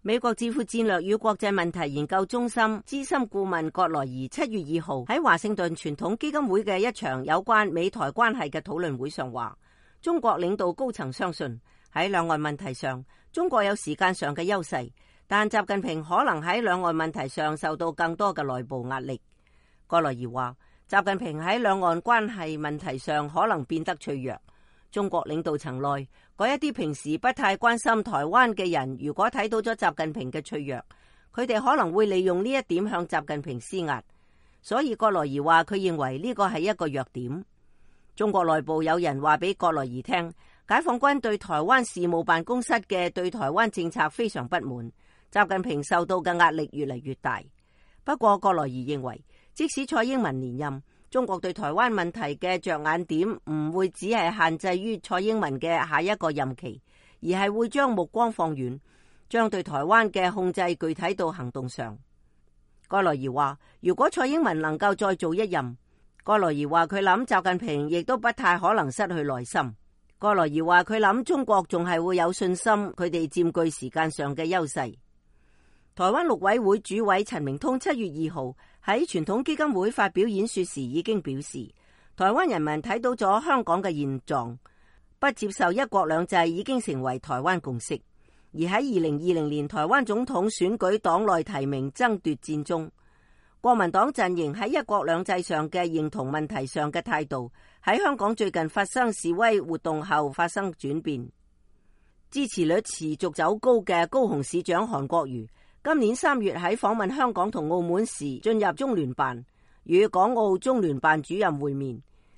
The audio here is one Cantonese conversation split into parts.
美國智庫戰略與國際問題研究中心資深顧問葛萊儀7月2號喺華盛頓傳統基金會嘅一場有關美台關係嘅討論會上話，中國領導高層相信喺兩岸問題上，中國有時間上嘅優勢，但習近平可能喺兩岸問題上受到更多嘅內部壓力。葛萊儀話，習近平喺兩岸關係問題上可能變得脆弱。中國領導層內嗰一啲平時不太關心台灣嘅人，如果睇到咗習近平嘅脆弱，佢哋可能會利用呢一點向習近平施壓。所以葛萊儀話，佢認為呢個係一個弱點。中國內部有人話俾葛萊儀聽，解放軍對台灣事務辦公室嘅對台灣政策非常不滿，習近平受到嘅壓力越嚟越大。不過葛萊儀認為，即使蔡英文連任，中國對台灣問題嘅着眼點唔會只係限制於蔡英文嘅下一個任期，而係會將目光放遠，將對台灣嘅控制具體到行動上。葛萊儀話，如果蔡英文能夠再做一任，葛萊儀話佢諗習近平亦都不太可能失去耐心。葛萊儀話佢諗中國仲係會有信心，佢哋佔據時間上嘅優勢。台灣陸委會主委陳明通7月2號喺傳統基金會發表演說時已經表示，台灣人民睇到咗香港嘅現狀，不接受一國兩制已經成為台灣共識。而喺2020年台灣總統選舉黨內提名爭奪戰中，國民黨陣營喺一國兩制上嘅認同問題上嘅態度，喺香港最近發生示威活動後發生轉變。支持率持續走高嘅高雄市長韓國瑜，今年3月喺訪問香港同澳門時進入中聯辦，與港澳中聯辦主任會面。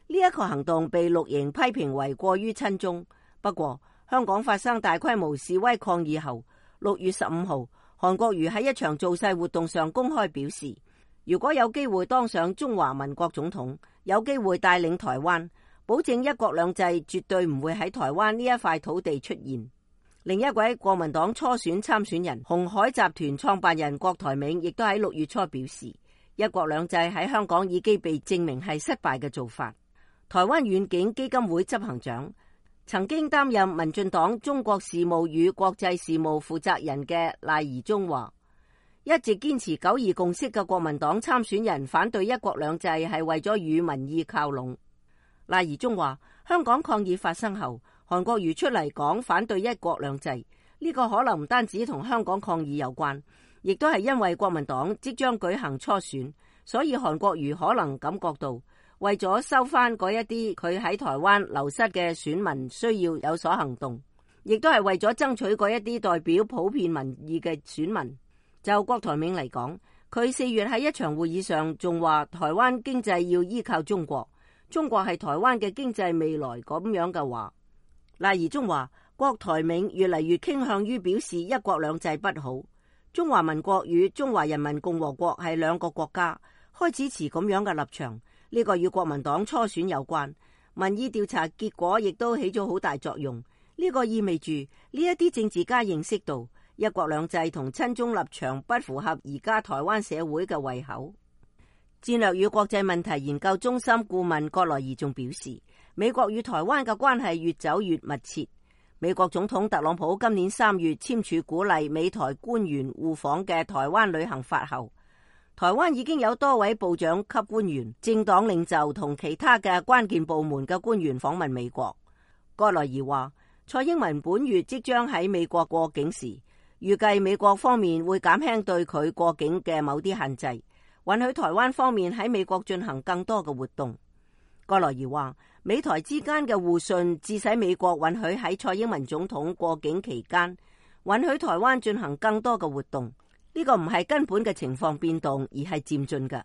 呢一個行動被綠營批評為過於親中。不過香港發生大規模示威抗議後，6月15號，韓國瑜喺一場造勢活動上公開表示，如果有機會當上中華民國總統，有機會帶領台灣，保證一國兩制絕對唔會喺台灣呢一塊土地出現。另一位國民黨初選參選人鴻海集團創辦人郭台銘亦都喺6月初表示，一國兩制喺香港已經被證明係失敗嘅做法。台灣遠景基金會執行長、曾經擔任民進黨中國事務與國際事務負責人嘅賴宜中話，一直堅持九二共識嘅國民黨參選人反對一國兩制係為咗與民意靠攏。賴宜中話，香港抗議發生後，韓國瑜出嚟講反對一國兩制，呢個可能唔單止同香港抗議有關，亦都係因為國民黨即將舉行初選，所以韓國瑜可能感覺到為咗收翻嗰一啲佢喺台灣流失嘅選民，需要有所行動，亦都係為咗爭取嗰一啲代表普遍民意嘅選民。就郭台銘嚟講，佢4月喺一場會議上仲話台灣經濟要依靠中國，中國係台灣嘅經濟未來咁樣嘅話。賴宜中話，郭台銘越嚟越傾向於表示一國兩制不好，中華民國與中華人民共和國係兩個國家，開始持咁樣嘅立場。呢個與國民黨初選有關，民意調查結果亦都起咗好大作用。呢個意味住呢一啲政治家認識到一國兩制同親中立場不符合而家台灣社會嘅胃口。戰略與國際問題研究中心顧問葛萊儀仲表示，美國與台灣嘅關係越走越密切。美國總統特朗普今年3月簽署鼓勵美台官員互訪嘅台灣旅行法後，台灣已經有多位部長級官員、政黨領袖同其他嘅關鍵部門嘅官員訪問美國。葛萊儀話，蔡英文本月即將喺美國過境時，預計美國方面會減輕對佢過境嘅某啲限制，允許台灣方面喺美國進行更多嘅活動。葛萊儀話，美台之間嘅互信致使美國允許喺蔡英文總統過境期間，允許台灣進行更多嘅活動。呢個唔係根本嘅情況變動，而係漸進嘅。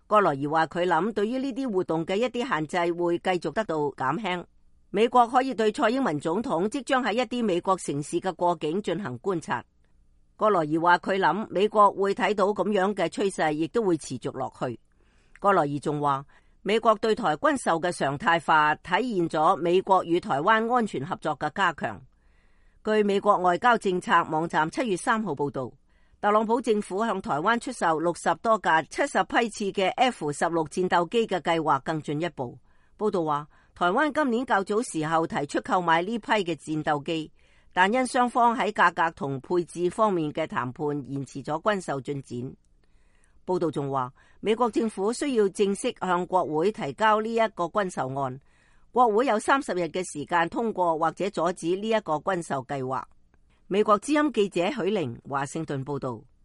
葛萊儀話佢諗，對於呢啲活動嘅一啲限制會繼續得到減輕。美國可以對蔡英文總統即將喺一啲美國城市嘅過境進行觀察。葛萊儀話佢諗，美國會睇到咁樣嘅趨勢，亦都會持續落去。葛萊儀仲話，美國對台軍售嘅常態化體現咗美國與台灣安全合作嘅加強。據美國外交政策網站7月3號報道，特朗普政府向台灣出售60多架70批次嘅 F-16戰鬥機嘅計劃更進一步。報道話，台灣今年較早時候提出購買呢批嘅戰鬥機，但因雙方喺價格同配置方面嘅談判延遲咗軍售進展。報道仲話，美國政府需要正式向國會提交呢一個軍售案，國會有30日嘅時間通過或者阻止呢一個軍售計劃。美國之音記者許玲華盛頓報道。